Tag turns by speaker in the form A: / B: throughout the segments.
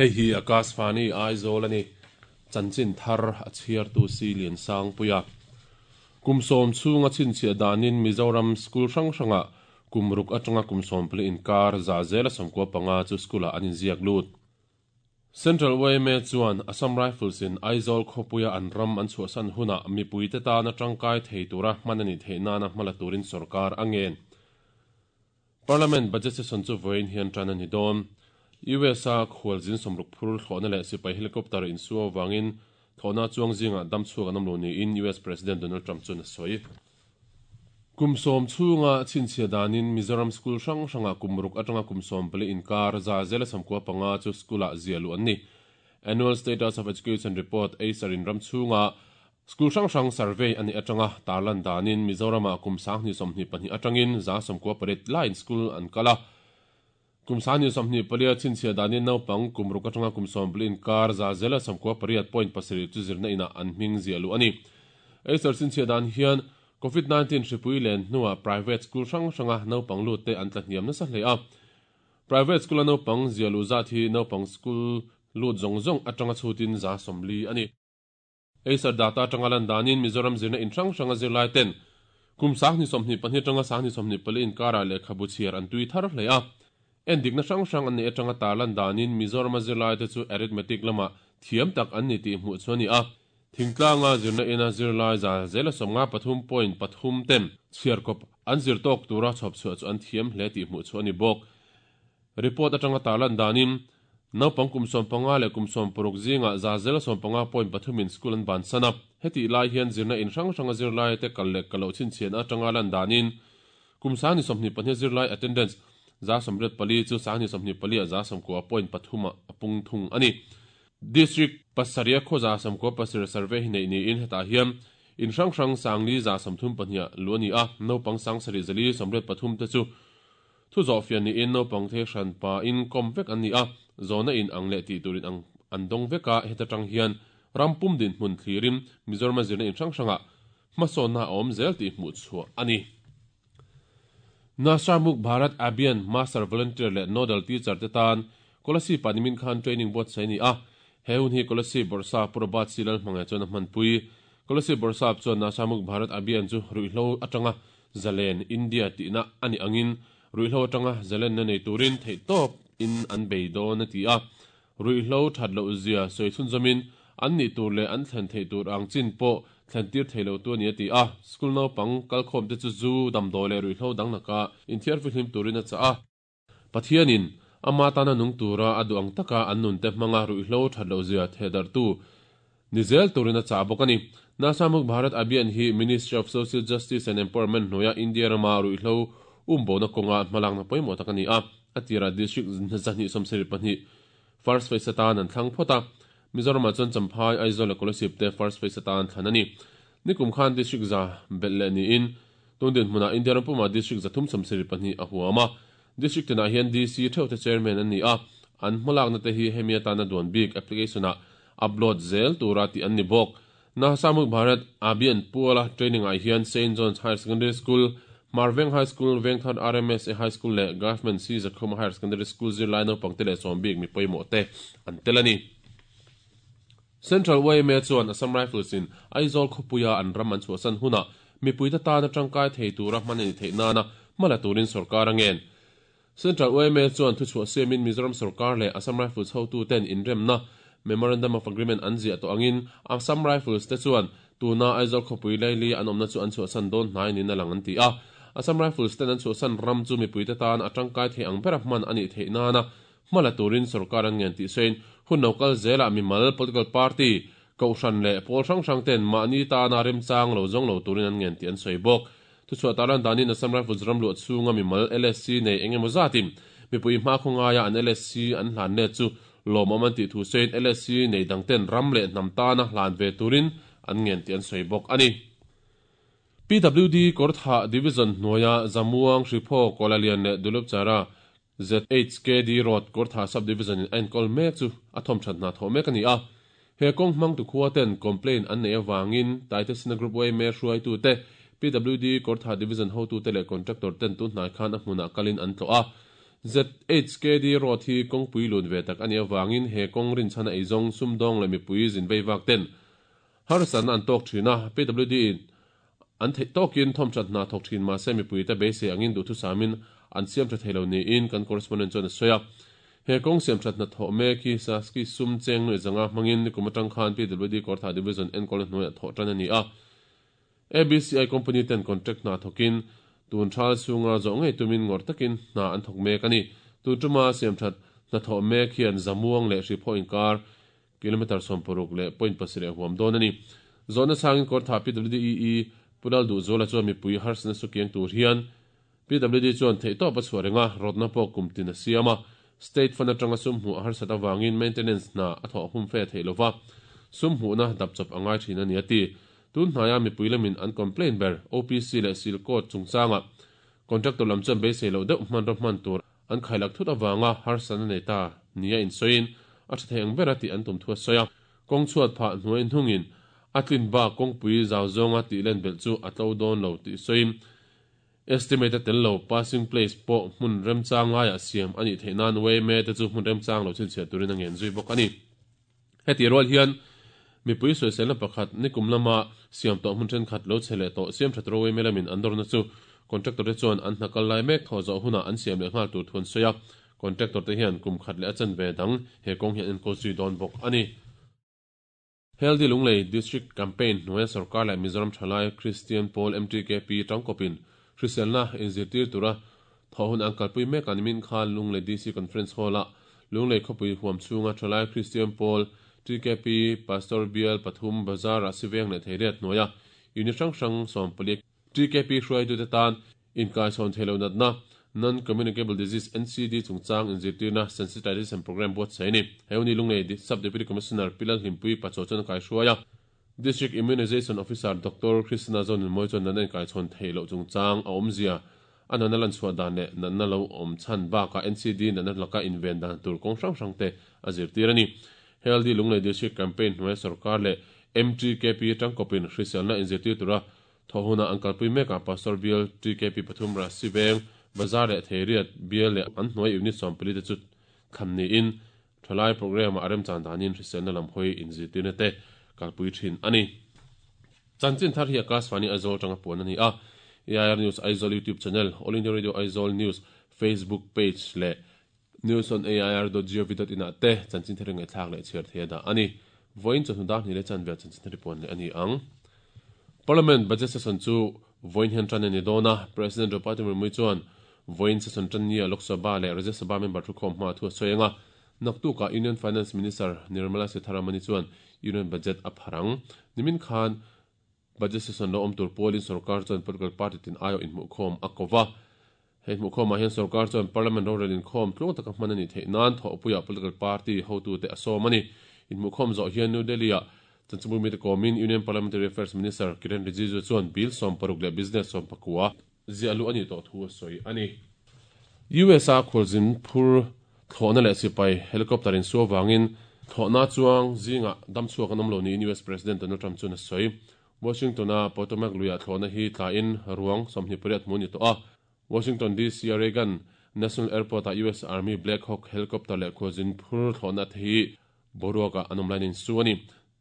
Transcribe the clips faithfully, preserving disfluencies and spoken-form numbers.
A: Hei hi Akashvani Aizawl ani chanchin thar a chhiartu si lian sang puia kum sawm chhunga chhinchhiah danin Mizoram school hrang hranga kumruk atanga kum sawm pali inkar za zela sawmkua panga chu school ah an inziak lut. Central Y M A chuan Assam Rifles in Aizawl khawpuia an ram an chhuahsan huna mipuite tana tangkai thei tura hman ani theih nana hmala turin sorkar a ngen. Parliament budget session chu vawiin hian tan a ni dawn. U S a khualzin sawmruk phur thlawhna leh sipai helicopter insu awangin thlawhna chuang zingah dam chhuak an awm lo niin U S President Donald Trump chuan a sawi. Kum sawm chhunga chhinchhiah danin Mizoram school hrang hranga kumruk atanga kum sawm pali inkar za zela sawmkua panga chu school ah ziah luh an ni. Annual Status of Education Report ASER in ram chhunga school hrang hrang survey ani atanga tarlan danin Mizorama kum sanghnih sawmhnih pahnih atangin za sawmkua pariat laiin school an kal a. Kum sanghnih sawmhnih palia chhinchhiah danin naupang kumruk atanga kum sawm pali inkar za zela sawmkua pariat point pasarih chu zirna inah an hming ziah luh ani. ASER chhinchhiah dan hian COVID nineteen hripui len hnuah private school hrang hranga naupang lut te an tla hniam nasa hle a. Private school a naupang ziah luh zat hi naupang school lut zawng zawng atanga chhutin za sawmli ani. ASER data atanga lan danin Mizoram zirna in hrang hranga zirlai ten kum sanghnih sawmhnih pahnih atanga sanghnih sawmhnih pali inkarah lehkhabu chhiar an tui thar hle a. Endikna hrang hrang an nei atanga tarlan danin Mizoram a zirlai te chu arithmetic lama thiam tak an ni tih hmuh chu ani a. Thingtlanga zirna ina zirlai za zela sawmnga pathum point pathum ten chhiarkawp an zir tawk tura chhawp chhuah chu an thiam hle tih hmuh chu ani bawk. Report atanga tarlan danin naupang kum sawm panga leh kum sawm paruk zinga za zela sawm panga point pathumin school an ban sana. Heti lai hian zirna in hrang hranga zirlai te kal leh kalo chhinchhian atanga lan danin kum sanghnih sawmhnih pahnih zirlai attendance za sawmriat pali chu sanghnih sawmhnih pali a za sawmkua point pathuma a pung thung ani. District pasaria khaw za sawmkua pasarih survey hi nei niin hetah hian in hrang hrang sangli za sawmthum pahnih lu ani a. Naupang sang sarih zali sawmriat pathum te chu thu zawh fian niin naupang the hran pa in kawm vek an ni a. Zawna in ang leh tih turin ang an dawng vek a. Heta tang hian rampum din hmun thlirin Mizoram zirna in hrang hranga hmasawnna a awm zel tih hmuh chhuah ani. Nasha Mukt Bharat Abhiyan Master Volunteer leh Nodal Teacher te tan Kolasib ah nimin khan training buatsaih ani a. He hun hi Kolasib Bawrhsap Pu Robert C Lalhmangaih chuan a hmanpui. Kolasib Bawrhsap chuan Nasha Mukt Bharat Abhiyan chu ruihhlo atanga zalen India tihna ani angin ruihhlo atanga zalen na nei turin theih tawp in an bei dawn a ti a. Ruihhlo that loh zia sawi chhun zamin an nih tur leh an thlen theih tur ang chin pawh thlen tir theilo tu ani a ti a. School naupang kalkhawm te chu zu damdawi leh ruihhlo dang laka inthiar fihlim turin a chah a. Pathianin ama tana nung tura a duh ang taka an nun te hmanga ruihhlo that loh zia thehdarh ni zel turin a chah bawk ani. Nasha Mukt Bharat Abhiyan hi Ministry of Social Justice and Empowerment hnuaia India rama ruihhlo umbona kawnga hmalakna pawimawh tak ani a. A tira district zahnih sawmsarih pahnih first phase atan an thlang phawt a. Mizoramah chuan Champhai, Aizawl leh Kolasib te first phase atan thlan ani. Nikum khan district za belh leh niin tun dinhmunah India ram puma district zathum sawmsarih pahnih a huam a. District tinah hian D C theuh te chairman an ni a. An hmalakna te hi hemi atana duan bik application ah upload zel tura tih an ni bawk. Nasha Mukt Bharat Abhiyan puala training ah hian Saint John's Higher Secondary School, Marveng High School, Vengthar R M S A High School leh Government C Zakhuma Higher Secondary School zirlai naupang te leh sawm bik mi pawimawh te an tel ani. Central Y M A chuan Assam Rifles in Aizawl khawpuia an ram an chhuahsan huna mipui te tana tangkai thei tura hman ani theih nana hmala turin sorkar a ngen. Central Y M A chuan thuchhuah siamin Mizoram sorkar leh Assam Rifles hotu ten inremna Memorandum of Agreement an ziah tawh angin Assam Rifles te chuan tuna Aizawl khawpui laili an awmna chu an chhuahsan dawn hnai niin a lang an ti a. Assam Rifles ten an chhuahsan ram chu mipui te tan a tangkai thei ang bera hman ani theih nana hmala turin sorkar an ngen tih sawiin hun lo kal zela mimal, political party, kohhran leh pawl hrang hrang ten mahni tana remchang lo zawng lo turin an ngen tih an sawi bawk. Thuchhuah tarlan danin Assam Rifles ram luah chhunga mimal L S C nei engemaw zatin mipui hma khawngaia an L S C an hlan let chu lawmawm an tih thu sawiin L S C nei dang ten ram leh hnam tana hlan ve turin an ngen tih an sawi bawk ani. P W D Kawrthah Division hnuaia Zamuang, Hriphaw, Kawlalian leh Dulupchara Z H K D Road Kawrthah Sub Division in a enkawl mek chu a thawm that hna thawh mek ani a. He kawng hmang tu khua ten complaint an nei awangin Taitesina Group Y M A hruaitu te, P W D Kawrthah Division hotu te leh contractor ten tu hnai khan a hmunah kalin an tlawh a. Z H K D Road hi kawngpui lun ve tak a nih avangin he kawng rinchhana eizawng, sumdawng leh mipui zin vei vak ten harsatna an tawk thin a. P W D in an theih tawkin thawmthat hna thawk thin mah se mipui te beisei angin duhthusamin an siam tha thei lo niin kan correspondent chuan a sawi a. He kawng siam that hna thawh mek hi Saski sum cheng nuai zanga hmangin nikum atang khan P W D Kawrthah Division enkawlna hnuaiah thawh tan a ni a. A B C I company ten contract hna thawkin tun thal chhunga zawh ngei tumin ngawrh takin hna an thawk mek a ni. Tun tuma siam that hna thawh mek hian Zamuang leh Hriphaw inkar kilometer sawm paruk leh point pasarih a huam dawn a ni. Zawhna chhangin Kawrthah P W D E E Pulal Duhzuala chuan mipui harsatna su kiang tur hian P W D chuan theihtawp a chhuah reng a, rawtna pawh kum tin a siam a. State fund atanga sum hmuh a harsat avangin maintenance hna a thawh hum fe theih lova, sum hmuhna dap chawp a ngai thin a ni a ti. Tun hnaia mipui lamin an complaint ber O P C leh Seal Coat chungchanga contractor lam chuan beisei loh deuh hmanraw hman tur an khailak thut avanga harsatna nei ta nia insawiin a tha thei ang ber a tih an tum thu a sawi a. Kawng chhuat phah hnuai hnungin a tlin bak kawngpui zau zawnga tih len belh chu a tlo dawn lo tih sawiin estimate a tel lo passing place pawh hmun remchang laiah siam a nih theih nan Y M A te chu hmun remchang lo chhinchhiah turin a ngen zui bawk a ni. Heti rual hian mipui sawiselna pakhat nikum lama siam tawh hmun thenkhat lo che leh tawh siam that ro Y M A lamin an dawrna chu contractor te chuan an hna kal lai mek thaw zawh hunah an siam leh nghal tur thu an sawi a. Contractor te hian kum khat leh a chan ve dang he kawng hian enkawl zui dawn bawk a ni. Healthy Lunglei District Campaign hnuaia Sorkar leh Mizoram Thalai Kristian Pawl M T K P tangkawpin hriselna inzirtir tura thawh hun an kalpui mek a. Nimin khan Lunglei D C Conference Hall-a Lunglei khawpui huam chhunga Thalai Kristian Pawl T K P Pastor Bial pathum Bazar ah Siveng leh Theiriat hnuaia unit hrang hrang sawm pali T K P hruaitute tan inkaichhawn theilo natna Non-Communicable Disease N C D chungchang inzirtirna sensitization program buatsaih a ni. He uni Lunglei Sub Deputy Commissioner Pilal Hlimpui Pachaw chuan a kaihruai a. District Immunization Officer Doctor Krishna Zonunmawii chuan natna inkaichhawn theih loh chungchang a awmzia, a natna lan chhuah dan leh natna lo awm chhan bakah N C D natna laka inven dan tur kawng hrang hrang te a zirtir a ni. Healthy Lunglei District Campaign hnuaia Sorkar leh M T K P tangkawpin hriselna inzirtir tura thawh huna an kalpui mekah Pastor Bial T K P pathum Rasiveng Bazar leh Theiriat Bial leh an hnuai unit sawm pali te chu thlan niin thalai program ah a remchan danin hriselna lam hawi inzirtirna te kalpui thin a ni. Chanchin thar hi Akashvani Aizawl atanga puan a ni a. A I R News Aizawl YouTube channel, All India Radio Aizawl News Facebook page leh news on A I R dot gov dot in ah te chanchin thar ngaihthlak leh chhiar thei a dah a ni. Vawiin chawhnu dar hnih leh chanve chanchin thar puan leh a ni ang. Parliament budget session chu vawiin hian tan a ni dawn a. President Draupadi Murmu chuan vawiin session tan nia Lok Sabha leh Rajya Sabha member thukhawm hma thu a sawi anga. Naktukah Union Finance Minister Nirmala Sitharaman chuan Union Budget a pharang. Nimin khan budget session lo awm tur pualin sarkar chuan political party tin aio inhmuhkhawm a kova. Hei hmuhkhawmah hian sarkar chuan parliament rorel inkhawm tluang taka hman a ni theih nan thawhpuia political party hotu te a sawm a ni. Inhmuhkhawm zawh hian New Delhi ah chanchinbu mi te kawmin Union Parliamentary Affairs Minister Kiren Rijiju chuan bill sawm paruk leh business sawm pakua ziah lu ani tawh thu a sawi a ni. U S a khualzin phur thlawhna leh sipai helicopter in su awangin thlawhna chuang zinga damchhuak an awm lo niin U S President Donald Trump chuan a sawi. Washington a Potomac luiah thlawhna hi tlain ruang sawmhnih pariat hmu ni tawh a. Washington D C Reagan National Airport a U S Army Black Hawk helicopter leh khualzin phur thlawhna te hi boruaka an awm lain in su a ni.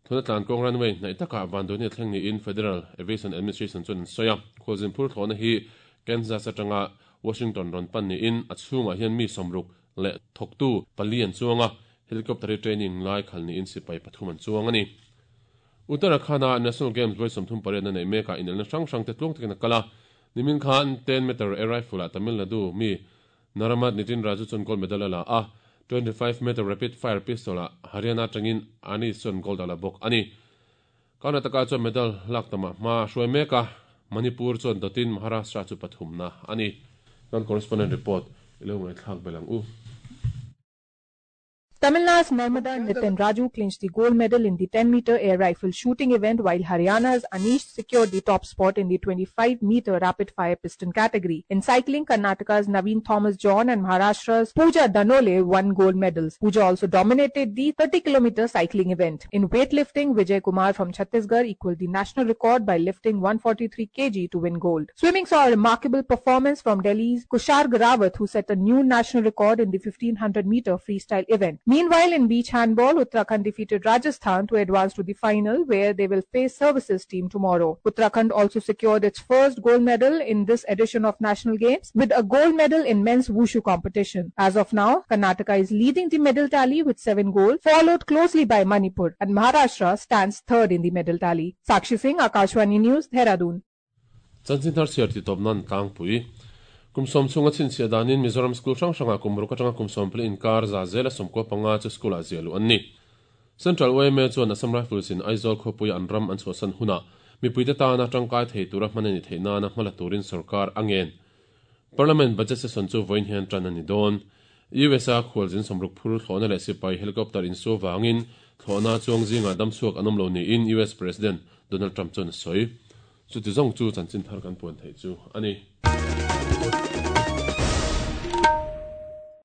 A: Thlawhna tlan kawng runway hnaih takah vanduai thleng niin Federal Aviation Administration chuan an sawi a. Khualzin phur thlawhna hi Kansas atanga Washington rawn pan niin a chhungah hian mi sawmruk leh thawktu pali an chuang a. Helicopter training lai khal niin sipai pathum an chuang a ni. Uttarakhand National Games vawi sawmthum pariat na nei mekah inelna hrang hrang te tluang takin a kal a. Nimin khan ten meter air rifle ah Tamil Nadu mi Naramat Nitin Raju chuan gold medal a la a. twenty-five meter rapid fire pistol ah Haryana atangin Anish chuan gold a la bawk a ni. Karnataka chuan medal lak tamah hma hruai mek a, Manipur chuan dawtin Maharashtra chu pathumna a ni. Kan correspondent report ilo ngaihthlak belang u.
B: Tamil Nadu's Narmada Nitin Raju clinched the gold medal in the ten meter air rifle shooting event, while Haryana's Anish secured the top spot in the twenty-five meter rapid fire piston category. In cycling, Karnataka's Naveen Thomas John and Maharashtra's Pooja Danole won gold medals. Pooja also dominated the thirty kilometer cycling event. In weightlifting, Vijay Kumar from Chhattisgarh equaled the national record by lifting one forty-three kilograms to win gold. Swimming saw a remarkable performance from Delhi's Kushar Rawat, who set a new national record in the fifteen hundred meter freestyle event. Meanwhile, in beach handball, Uttarakhand defeated Rajasthan to advance to the final, where they will face Services team tomorrow. Uttarakhand also secured its first gold medal in this edition of National Games with a gold medal in men's wushu competition. As of now, Karnataka is leading the medal tally with seven gold, followed closely by Manipur, and Maharashtra stands third in the medal tally. Sakshi Singh, Akashvani News, Dehradun.
A: Chanchin thar chhiar ti tawp nan tlangpui. Kum sawm chhunga chhinchhiah danin Mizoram School hrang hranga kum ruk atanga kum sawm pali inkar za zela sawmkua panga chu school ah ziah luh an ni. Central Y M A chuan Assam Rifles in Aizawl khawpui an ram an chhuahsan hunah mipuite tana tangkai thei tura hman ani theih nana hmala turin sarkar angen. Parliament budget session chu vawiin hian tan ani dawn. U S A khualzin sawmruk phur thlawhna leh sipai helicopter in su wangin thlawhna chuang zinga damchhuak an awm lo niin U S President Donald Trump chuan a sawi. Chuti zawng chu chanchin thar kan puan theih chu ani.